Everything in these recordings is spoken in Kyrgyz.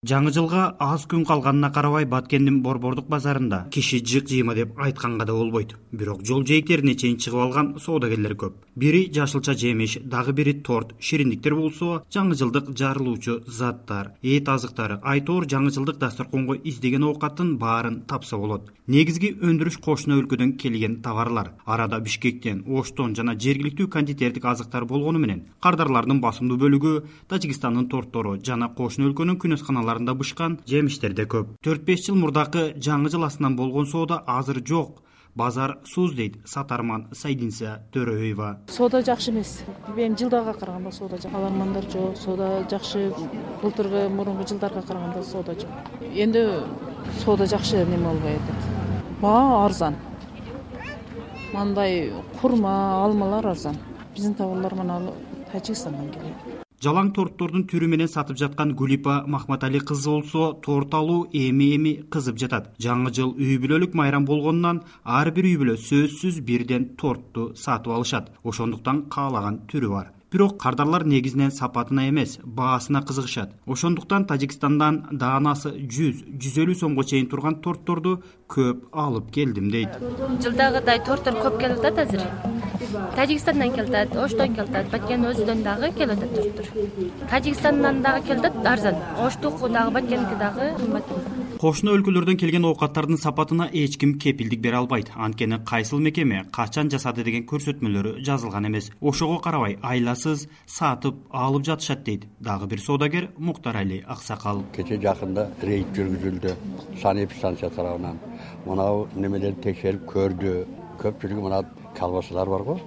Жаңы жылга аз күн калганына карабай Баткендин Борбордук базарында киши жык жыйма деп айтканга да болбойт. Бирок жол жээктерине чейин чыгып алган соодагерлер көп. Бири жашылча жемиш, дагы бири торт, шириндиктер болсо, жаңы жылдык жарылуучу заттар, эт азыктары, айтор жаңы жылдык дасторконго издеген оокаттын баарын тапса болот. Негизги өндүрүш кошуна өлкөдөн келген товарлар. Арада Бишкектен, Оштон жана жергиликтүү кондитердик азыктар болгону менен кардарлардын басымдуу бөлүгү Тажикстандын тортору жана кошуна өлкөнүн күнөсканаларында бышкан жемиштер да көп. 4-5 жыл мурдакы жаңы жыл астынан болгон соода азыр жок. Базар суз дейт сатарман Сайдинса Төрөева. Соода жакшы эмес. Эми жылдарга караганда соода жакшы. Алармандар жок, соода жакшы. Былтыркы мурунку жылдарга караганда соода жок. Эndi соода жакшы неме болбой атат. Баа арзан. Мындай курма, алмалар арзан. Биздин товарлар мына Тажикстандан келет. Жалаң торттордун түрү менен сатып жаткан Гулипа Махматали кызы болсо, торт алуу эми кызып жатат. Жаңы жыл үй бүлөлүк майрам болгонунан ар бир үй бүлө сөзсүз бирден тортту сатып алышат. Ошондуктан каалаган түрү бар. Бирок кардарлар негизинен сапатына эмес, баасына кызыгышат. Ошондуктан Тажикстандан даанасы 100-150 сомго чейин турган тортторду көп алып келдим дейт. Жылдагыдай торттор көп келип атат азыр. Тажикстандан келип атат, Оштон келип атат, Баткен өзүдөн дагы келип атат торттор. Тажикстандан дагы келип атат арзан. Оштук дагы, Баткенки дагы кымбат. Кошуна өлкөлөрдөн келген оокаттардын сапатына эч ким кепилдик бере албайт. Анткени кайсыл мекеме качан жасады деген көрсөтмөлөрү жазылган эмес. Ошого карабай айласыз сатып алып жатышат дейт дагы бир соодагер Муктарали Аксакал. Кече жакында рейд жүргүзүлдү санэпидстанция тарабынан. Мынау немелерди текшерип көрдү. Көпчүлүгү мына колбасалар бар го.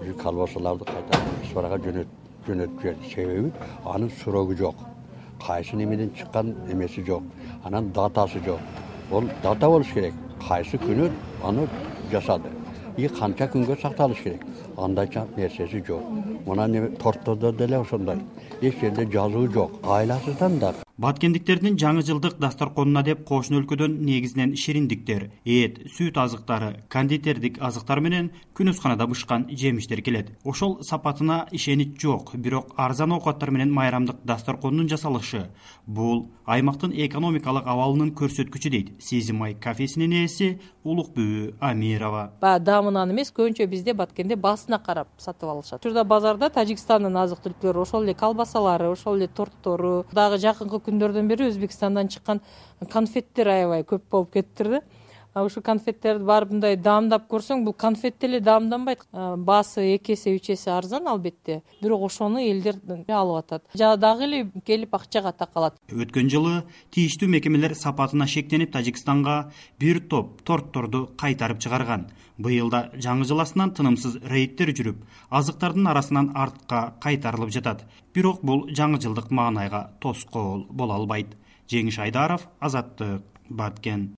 Бул колбасаларды кайта Исфарага жөнөтүп берди. Себеби анын срогу жок. Кайсы немеден чыккан эмеси жок. Анан датасы жок. Ол дата болуш керек. Кайсы күнү аны жасады. Канча күнгө сакталыш керек. Андай нерсеси жок. Мына торттордо деле ошондой. Эч жерде жазуу жок. Айласыздан да. Баткендиктердин жаңы жылдык дасторконуна деп кошуна өлкөдөн негизинен шириндиктер, эт, сүт азыктары, кондитердик азыктар менен күнөсканада бышкан жемиштер келет. Ошол сапатына ишенич жок, бирок арзан оокаттар менен майрамдык дасторкондун жасалышы бул аймактын экономикалык абалынын көрсөткүчү дейт Сезимай кафесинин ээси Улукбүбү Амирова. Даамынан эмес, көбүнчө бизде Баткенде баасына карап сатып алышат. Учурда базарда Тажикстандын азык-түлүктөрү, ошол эле колбасалары, ошол эле торттору, дагы жакынкы күндөрдөн бери Өзбекстандан чыккан конфеттер аябай көп болуп кетиптир да. Ушу конфеттерди барып мындай даамдап көрсөң, бул конфет деле даамданбайт. Баасы 2 эсе 3 эсе арзан албетте. Бирок ошону элдер алып атат. Дагы эле келип акчага такалат. Өткөн жылы тийиштүү мекемелер сапатына шектенип Тажикстанга бир топ тортторду кайтарып чыгарган. Быйыл да жаңы жыл астынан тынымсыз рейдтер жүрүп, азыктардын арасынан артка кайтарылып жатат. Бирок бул жаңы жылдык маанайга тоскоол боло албайт. Жеңиш Айдаров, Азаттык, Баткен.